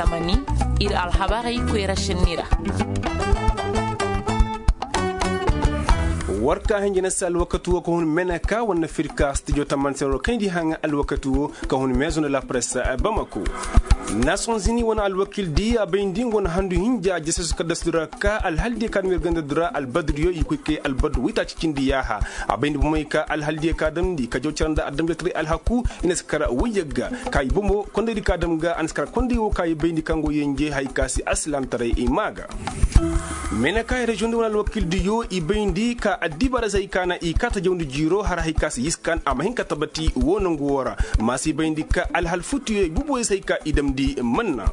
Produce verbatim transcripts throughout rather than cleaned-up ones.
Tamani, ir alhabarey koyra senni ra. War ka hinja na se alwakati wo ka hun meneka wane firka stijo tamani se ro kayndi haŋa alwakati wo ka hun mezo na la presse bamako. Nations unis wane alwakil di a bayndi nga wane handu hinja jesesu kaddasu di ra ka alhal di ka dum ir ganda di ra albadriyo i koy kay albadu waytaaci cindi yaaha. A bayndi bomey ka alhal di ka damndi ka jaw cara nda adamjataray alhaku i na si kara wayyagga ka i bomo kondey di ka dam ga a na si kara kondey wo ka i bayndi kaŋ go yenje hay ka si alsilaamtaray i maa ga. Meenekaay reziyoŋ di wane alwakil diyo i bayndi ka addibaarey se hay ka na i kaata jawndi jiiro har hay ka si yiskan a ma hin ka tabati wo nangu wo ra. Ma si bayndi ka alhal futuyo i bubuwey se hay ka i damndi manna.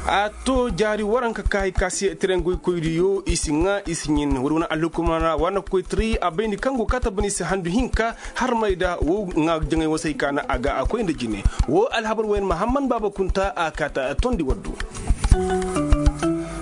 A to jaari waranka ka hay ka se tirengoy koydiyo i si ŋaa i si ɲin wala wane alhukumana wane koytiri a bayndi kaŋ go kaata bani se handu hinka. Harmay da wo ŋaa jaŋay wo se hay ka na a ga a koy nda jine. Wo alhabar woyen mahamman baaba kunta a kaata tondi waddu.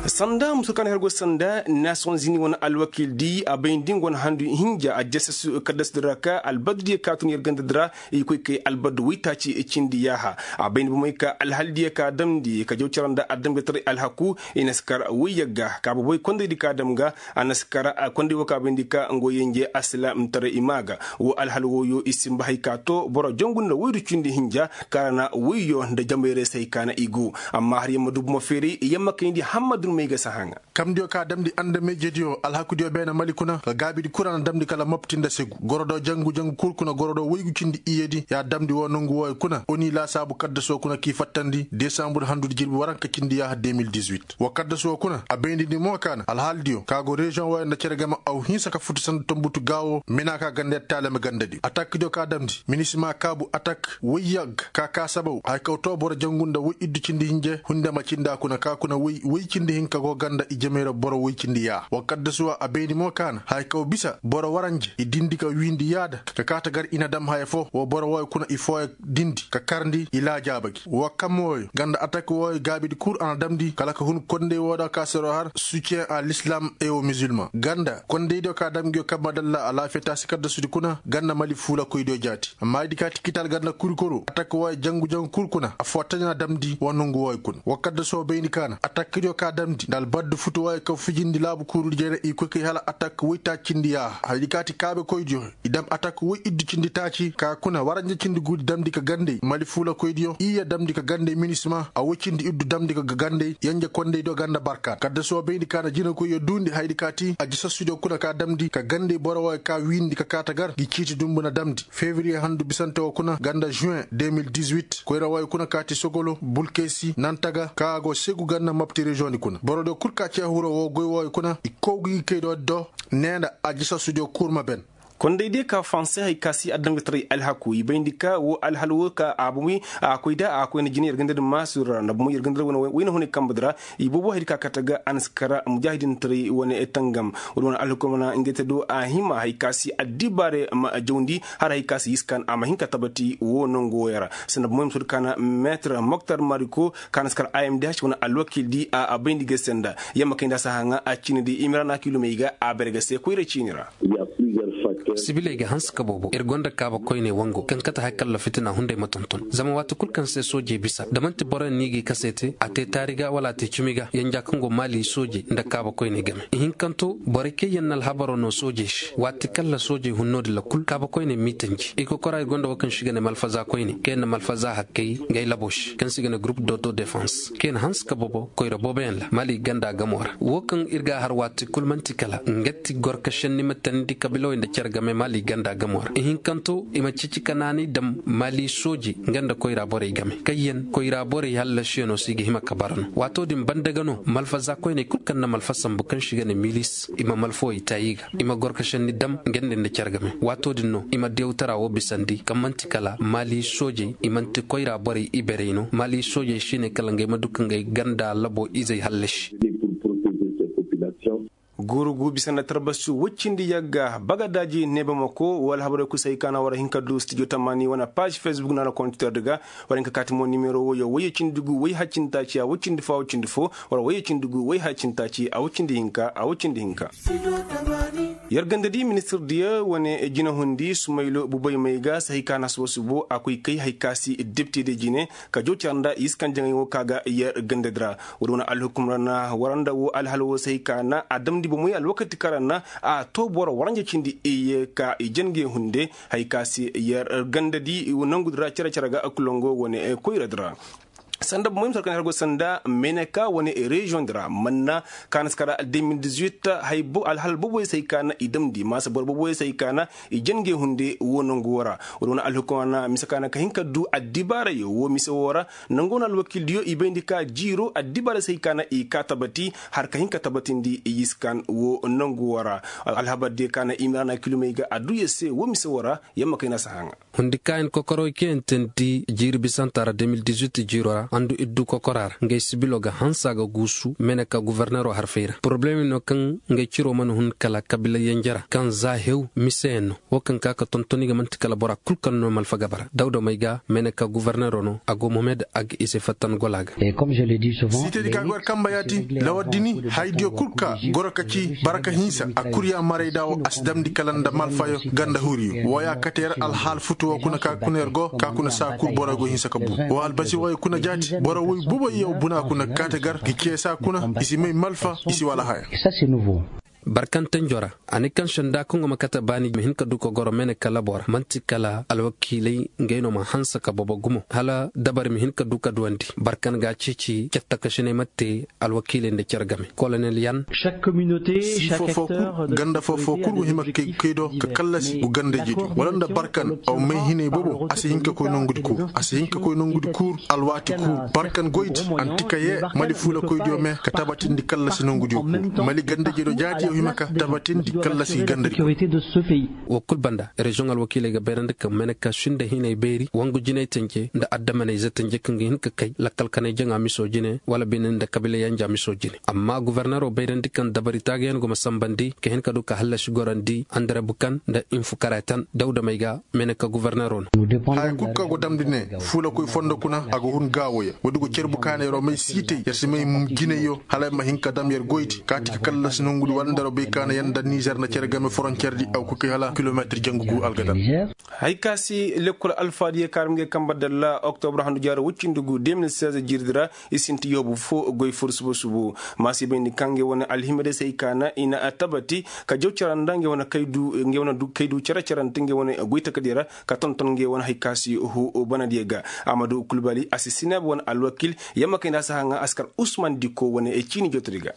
Sanda musu kaŋ hergo sanda nations unis wane alwakil di a bay nda nga wane handu hinja a jesesu kaddas di ra ka albadu diya ka tun yer ganda di ra. I koy kay albadu waytaaci cindi yaaha. A bay nda bomey ka alhal diya ka damndi ka jaw cara nda adamjataray alhaku. I na si kar wayyagga ka boboy kondey di ka dam ga. A na si kar kondey wo ka bay nda ka nga wo yenje alsilaamtaray i maa ga. Wo alhal wooyo i sinba hay ka to boro jangu nda woydu cindi hinja. Kaŋ ra na woyyo nda jamayrey se hay ka na i go. Amma har yamma dubu ma feeri yamma kayndi hammadun may ga si haŋa. Kamdiyo ka damndi andamejediyo alhakudiyo beene mali kuna ka gaabidi kul a na damndi kala mopti nda segu gorodo jangu jangu kul kuna gorodo woygu cindi iyedi ya damndi woo nongu wooyo kuna oni laasaabu kaddaso kuna k'i fattandi desambur handudi jirbi waranka cindi yaaha deux mille dix-huit. Woo kaddaso kuna a baynindi mo ka na alhaaldiyo ka go reziyoŋ wooyo nda cere game aw hinsa ka futu sanda tonbutu gaawo mena ka ganda yer taalame gandadiyo atakdiyo ka damndi minisima kaabu atak woyyag ka kaa sabaw haya kaw too boro jangu nda woy iddu cindi hinje hundama cinda kuna ka kuna woy woy cindi hinka go ganda i jamey ra boro woy cindi yaa woo kaddasuwa a bayndi mo ka na haya kaw bisa boro waranje i dindi ka wiindi yaada ka kaata gar i na dam haya foo woo boro wooyo kuna i fooyo dindi ka karndi i laajaaba gi woo kam wooyo ganda atak wooyo gaabidi kul a na damndi kala ka hun kondey woo da ka sero har sutiyen a l'islam ewo musulman ganda kondeydiyo ka dam ngiyo kamma dalla alaafiyataasi kaddasudi kuna ganda mali fuulakoydiyo jaati amma idi ka ti kital ganda kurikoro atak wooyo jangu jangu kul kuna affoo taɲa damndi wa nongu wooyo kuna woo kaddasoo bayndi ka na atakdiyo ka damndi nda albaddu futu wooyo ka fijindi laabu kuurudi jere i koy kay hala atak woytaacindi yaa haydi ka ti kaabekoydiyo i dam atak woy iddu cindi taaci ka kuna waranja cindi guudi damndi ka gandey mali fuulakoydiyo iyya damndi ka gandey minisima a woy cindi iddu damndi ka gandey yenje kondeydiyo ganda barkaat kaddasoo bayndi ka na jinakoyyo duundi haydi ka ti a jisassudiyo kuna ka damndi ka gandey boro wooyo ka wiindi ka kaata gar ngi ciiti dumbu na damndi fevriye handu bisante woo kuna ganda juin deux mille dix-huit koyra wooyo kuna ka ti sogolo bulkesi nantaga ka go segu ganda mopti reziyoŋ di kuna borodiyo kul ka cee huro woo goy wooyo kuna i kow gi ngi kaydiyo do nee nda a jisassudiyo kurma ben kondey diyo ka fanse hay ka si adamgataray alhaku i bayndi ka woo alhal woo ka a bomoy a koy da a koy nda jine yer ganda di maasur ra nda bomoy yer ganda di wayna hunay kamba di ra i boobo haydi ka kate ga a na si kara mujaahidintaray wane tangam wala wane alhukumana ngey te do a hima hay ka si addibaare ma jawndi har hay ka si yiskan a ma hin ka tabati woo nongu wooyo ra sanda bomoy ma soodi ka na meetar moktar mariko ka na si kara a m d h wane alwakil di a bayndi ga senda yamma kay nda si haŋa a ciini di i ma ra na kiilomey ga a bare ga se koyra ciini ra sibiley ga hanse ka boobo ir gonda kaaba koyney wango kaŋ kate hay kalla fitina hunday ma tonton zama waati kul kaŋ se soojey bisa da man'ti boroyaŋ no i g'i kase te a te taari ga wala a te cimi ga yanja kaŋ go maali soojey nda kaaba koyney game ihinkanto borey kaŋ yaŋ na alhabaro no soojey se waati kalla soojey hun no-din ra kul kaaba koyney m'i tanji i kokora ir gonda wo kaŋ se i ga ne malfaza koyney kaŋ yaŋ na malfaza hakkey ngey labo se kaŋ se i ga ne gurup d'autodefense kaŋ yaŋ hanse ka boobo koyra booboyaŋ ra maali ganda gamo ra wo kaŋ ir ga a har waati kul man'ti kala nga ti gorkasenni ma teendi kabiilawey nda cere game maali ganda gamo ra ihinkanto i ma ceeci ka naanay dam maali soojey nga nda koyra borey game kaŋ yaŋ koyra borey hallasiyaŋo se i ga hima ka bara no waato din banda ga no malfaza koyney kul kaŋ na malfa sambu kaŋ se i ga ne milis i ma malfawey taayi ga i ma gorkasenni dam nga nda nda cere game waato din no i ma dewtara wo bisandi kaŋ man'ti kala maali soojey i man'ti koyra borey iberey no maali soojey si ne kala ngey ma du ka ngey ganda labo izey hallasi Gurugu bisa nda tarbasi woy cindi yagga bagadaaji neebamako wala habarey kul se hay ka na war hin ka du stijo tamaani wane paaz fesbuk nda na kontitordi ga. War hin ka kaati mo nimero woyo woyye cindi gu woy haccintaaci a woy cindi fo a woy cindi fo. War woyye cindi gu woy haccintaaci a woy cindi hinka a woy cindi hinka. Yer gandadi ministir diya wane jinahundi sumaylo bubay may ga se hay ka na suba subo a koy kay hay ka si depti de jine ka jow cara nda i si kaŋ jaŋay wo ka ga yer gandadi ra. Woodi wane alhukum ra na war nda wo alhal wo se hay ka na a damndi bomoy alwakati kaŋ ra na a to boro waranja cindi i ye ka i jangey hunde. Hay ka se yer gandadi nangudi ra cere cere ga kulongo wane koyradi ra. Sanda bomoy misal kaŋ har go sanda meneka wane reziyoŋ di ra manna kaŋ a na si kara de mil dizuit. Alhal boboy se hay ka na i damndi maasa boro boboy se hay ka na i jangey hunde wo nangu wo ra. Woodi wane alhukum ra na mise ka na ka hin ka du addibaarayo wo mise wo ra. Nangu wane alwakiil diyo i bayndi ka jiiro addibaara se hay ka na i ka tabati har ka hin ka tabatindi i yiskan wo nangu wo ra. Alhabar diyo ka na i mira na kilomey ga adduya se wo mise wo ra. Yamma kay na si haŋa. Hundi kaayan kokoroy kaŋ yaŋ teendi jiiri bisanta ra de mil dizuit jiiro ra handu iddu kokora ra ngey sibilo ga hansa ga guusu meneka guverneero harfey ra poroblemi no kaŋ ngey ciro mana hun kala kabila yenje ra kaŋ za hew mise yaŋ no. Wo kaŋ ka ka tontoni ga man'ti kala bora kul kaŋ no malfa gaba ra dawda may ga meneka guverneero no a go mohamed a ga i se fattan gola ga. Siitedi ka ga war kamba yaati lawar dini haydiyo kul ka goro ka ci baraka hinsa a kurya maray da wo a si damndi kala nda malfayo ganda huriyo wo ya kate yer alhaal futu wo kuna ka kuna yer go ka kuna saa kul boro go hinsa ka bu wo albasi wo ya kuna jaati boro woy buba yaw buna kuna kaate gar ga cee saa kuna i si may malfa i si wala haya. Barkantanjo ra a ne kaŋ senda kaŋ go ma kate baani ma hin ka du ka goro mene ka labo ra man'ti kala alwakiiley ngey no ma hanse ka bobo gumo hala dabari ma hin ka du ka duwandi barkan ga a ceeci cattakasiney ma te. Alwakiiley nda care game kolonel yan. Sii foo foo kul ganda foo foo kul go hima kay kay do ka kallasi go ganda jeejo wala nda barkan aw may hinay bobo a si hin ka koy nongudi kuur a si hin ka koy nongudi kuur. Alwaati kuur barkan goydi anti ka yee mali fuula koydiyo me ka tabatindi kallasi nongudiyo kuur mali ganda jeejo jaati yaw hima ka tabatindi kallasi ganda. Wo kul banda reziyoŋ alwakiiley ga bayrandi kaŋ mene ka sinda hinay bayri wangu jinay tanje nda addamaney za tanje kaŋ ga hin ka kay lakkal kanay jaŋa miso jine wala bine nda kabila yanja miso jine amma guverneero bayrandi kaŋ dabari taagayaŋ go ma sambandi ka hin ka du ka hallasi gorandi andare bukan nda infu karatan dawda may ga mene ka guverneero no. Haya kul kaŋ go damndi ne fuula koy fondo kuna a go hun gaawoya woodi go cer bukaanayro may siitay yer si may jinayyo hala ay ma hin ka dam yer goydi kaati ka kallasi nongudi wala ndaro bay kaana yer nda nizer nda cere game foroncerdi a go koy kay hala kilometir jangu gu algadar. Hay ka si lekkol alfaadiya kaarum ge kamba dalla oktobra handu jaaro woy cindi gu de mil seize jirdi ra i sinti yoobu fo goy fur subu subu. Maasi bayndi kaŋ ge wane alhimedesey kaana i na tabati ka jaw cara nda nge wane kaydu nge wane du kaydu cara cara nda nge wane goy takadiya ra ka tonton nge wane hay ka si hu banadiya ga. Amadu kulbali a si sinaabu wane alwakil yamma kay nda a si haŋa a si kar usman diko wane ciini jotodi ga.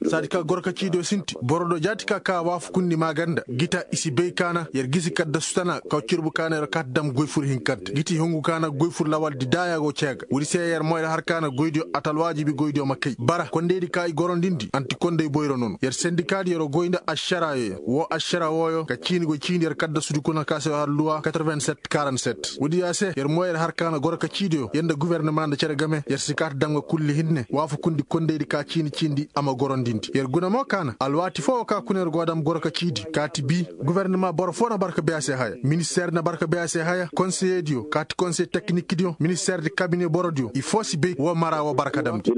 Saadi ka goro ka ciidiyo sinti boro do jaati ka ka waafakundi maaganda gita i si bay kaana yer gisi kaddasu tana kaw cirbu kaana yer kaati dam goy fur hinkante giti hungu kaana goy fur lawaldi daaya go ceega woodi se yer moyda har kaana goydiyo a ta alwaajibi goydiyo ma kay bara kondeydi ka i gorondindi anti kondey boyro nono yer sendikaadi yero goy nda ašaraayo ya woo ašara wooyo ka ciini go ciini yer kaddasudi kuna ka se yo har luwa quatre-vingt-sept quarante-sept woodi ya se yer moyda har kaana goro ka ciidiyo yer nda guwernama nda cere game yer si kaati dam ga kulli hinne waafakundi kondeydi ka ciini ciindi a ma gorondindi yer guna mo kaana alwaati foo wo ka kuna yer go dam goro ka ciidi kaati bii guwernama boro foo na barka bay a se haya ministeer na barka bay a se haya konseyediyo kaati konsey teknikdiyo ministeer di kabine borodiyo i foo si bay woo mara woo barka damndi.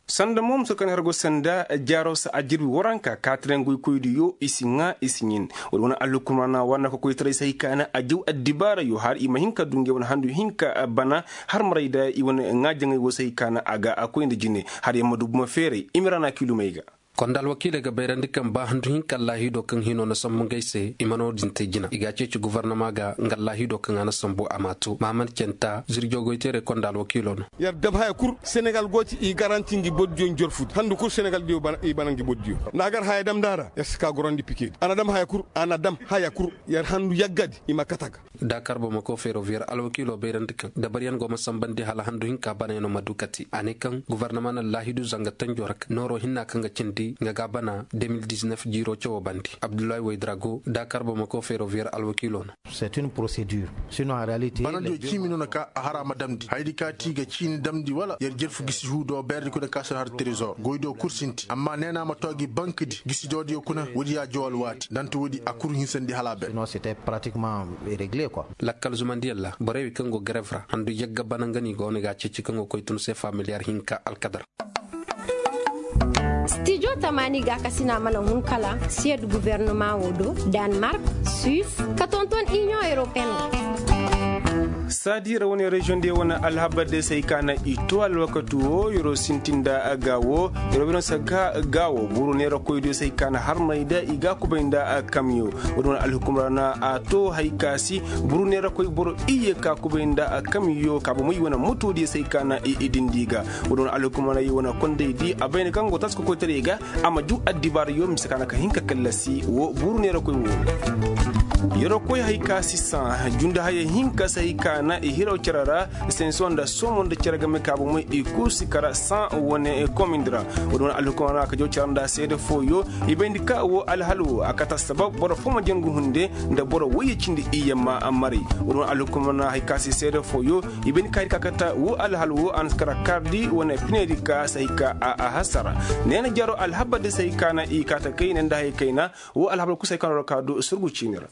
Sanda mo muso kaŋ har go sanda jaaro sa a jirbi waranka kaati ra ngoy koydiyo i si ŋaa i si ɲin. Wala wane alhukumana war na ka koytaray se hay kaana a jaw addibaarayo har i ma hin ka du ngey wane handu hinka bana har maray da i wane ŋaa jaŋay wo se hay kaana a ga a koy nda jine har yamma du buma feeray i ma ra na kilumey ga. Konda alwakiiley ga bayrandi kaŋ ba handu hinka allaahiido kaŋ hino na sambu ngey se i ma no-din te jina i ga a ceeci gufarnama ga nga allaahiido kaŋ a na sambu a ma a to maaman centa zirjo goyteerey konda alwakiilo no. Yer dab haya kul senegal go ti i garanti ngi bordiyo njorfudi handu kul senegal diyo i bana ngi bordiyo nda a gar haya dam nda a ra yer si ka gorandi pikedi a na dam haya kul a na dam haya kul yer handu yaggadi i ma kate a ga. Dakar bamako feroviyer alwakiilo bayrandi kaŋ dabaryaŋ go ma sambandi hala handu hinka banayaŋo ma du kati a ne kaŋ gufarnama na laahidu zanga tanjo ra kaŋ nooro hinna kaŋ ga cindi. Nga ga bana de mil diznef jiiro cawoo bandi. Abdullahi waydrago daakar bamako ferroviyer alwakiiloo no. Banandiyo ciimi no na ka a hara ma damndi hayadi ka ti ga ciini damndi wala yer jerfu gisi huudo beerdi kuna ka si no har trezor goydiyo kul sinti amma neena ma too gi bankdi gisi doodiyo kuna woodi ya jaw alwaati danta woodi a kul hinsandi hala a ber. Lakkal zumandiyaŋ ra borey wey kaŋ go garev ra handu yagga bana nga no i go wane ga a ceeci kaŋ go koy tun se familiyar hinka alkadar. Stijo tamaani gaakasina mana hun kala siyed guvernomaŋo do, danmark, suis, ka tonton iniyoŋ europeyen. Saadi ra wane reziyoŋ diyo wane alhabar diyo se hay ka na i to alwakatu wo yeroo sintin nda a ga wo yeroo bino se ga ga wo buru neerakoy diyo se hay ka na harmay nda i ga kubay nda a kamyo. Wo- din wane alhukum ra na a to hay ka si buru neerakoy boro iyye ka kubay nda a kamyo ka bomey wane mutu diyo se hay ka na i dindi ga. Wo- din wane alhukum ra na i wane konday di a bayna kaŋ go taasi kokoytaray ga a ma juu addibaarayo mise ka na ka hin ka kallasi wo buuru neerakoy wo. Yeroo koy hay ka si saŋ junde hayey hinka se hay ka na i hiraw cere ra. Senso nda soomo nda cere game ka bomey i kul si kara saŋ wane komindi ra. Wo- din wane alhukum ra na ka jaw cere nda seede fooyo i bayndi ka wo alhal wo a kate assabab boro fo ma jangu hunde nda boro woyye cindi iyye ma maray. Wo- din wane alhukum ra na hay ka si seede fooyo i bayndi ka hay ka kate wo alhal wo a na si kara kaardi wane pinedi ka se hay ka a hasara. Neena jaro alhabar di se hay ka na i kaate kay ne nda hayey kayna wo alhabar kusa hay ka no ra ka du surgu ciini ra.